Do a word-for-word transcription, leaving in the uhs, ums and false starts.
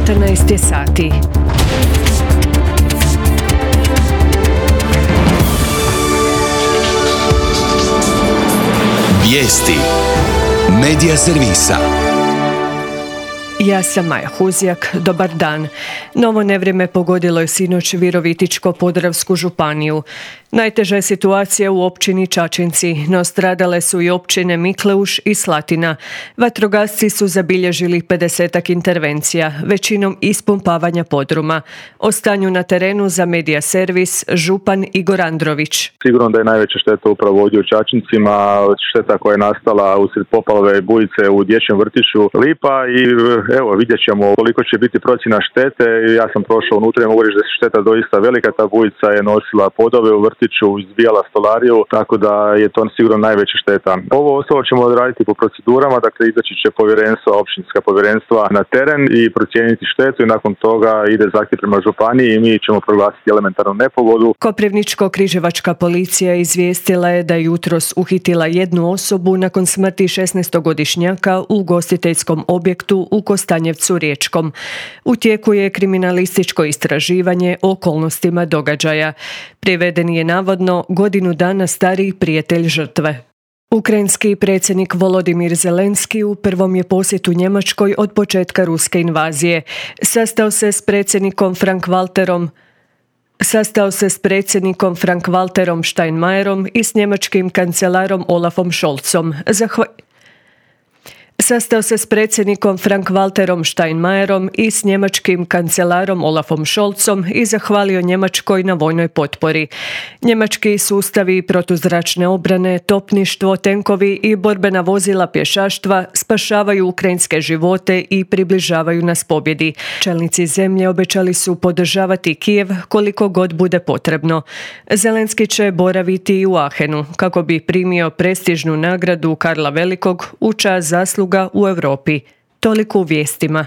četrnaest je sati. Vijesti Medija servisa. Ja sam Maja Huzjak, dobar dan. Novo nevrijeme pogodilo je sinoć Virovitičko-podravsku županiju. Najteža je situacija u općini Čačinci, no stradale su i općine Mikleuš i Slatina. Vatrogasci su zabilježili pedesetak intervencija, većinom ispumpavanja podruma. O stanju na terenu za Medija servis župan Igor Andrović. Sigurno da je najveća šteta upravo ovdje u Čačincima, šteta koja je nastala usred poplave bujice u dječjem vrtiću Lipa i evo vidjet ćemo koliko će biti procjena štete. Ja sam prošao unutra i mogu reći da je šteta doista velika, ta bujica je nosila podove u vrtiću, izbijala stolariju, tako da je to sigurno najveća šteta. Ovo ostalo ćemo odraditi po procedurama, dakle izaći će povjerenstva, općinska povjerenstva na teren i procijeniti štetu i nakon toga ide zahtjev prema županiji i mi ćemo proglasiti elementarnu nepogodu. Koprivničko-križevačka policija izvijestila je da je jutros uhitila jednu osobu nakon smrti šesnaestogodišnjaka u ugostiteljskom objektu u Kostanjevcu Riječkom. U tijeku je kriminalističko istraživanje o okolnostima događaja. Priveden je navodno godinu dana stariji prijatelj žrtve. Ukrajinski predsjednik Volodimir Zelenski u prvom je posjetu Njemačkoj od početka ruske invazije. Sastao se s predsjednikom Frank-Walterom Sastao se s predsjednikom Frank-Walterom Steinmeierom i s njemačkim kancelarom Olafom Scholzom. Zahva... Sastao se s predsjednikom Frank-Walterom Steinmeierom i s njemačkim kancelarom Olafom Scholzom i zahvalio Njemačkoj na vojnoj potpori. Njemački sustavi protuzračne obrane, topništvo, tenkovi i borbena vozila pješaštva spašavaju ukrajinske živote i približavaju nas pobjedi. Čelnici zemlje obećali su podržavati Kijev koliko god bude potrebno. Zelenski će boraviti i u Aachenu kako bi primio prestižnu nagradu Karla Velikog u čast zasluga u Europi. Toliko u vijestima.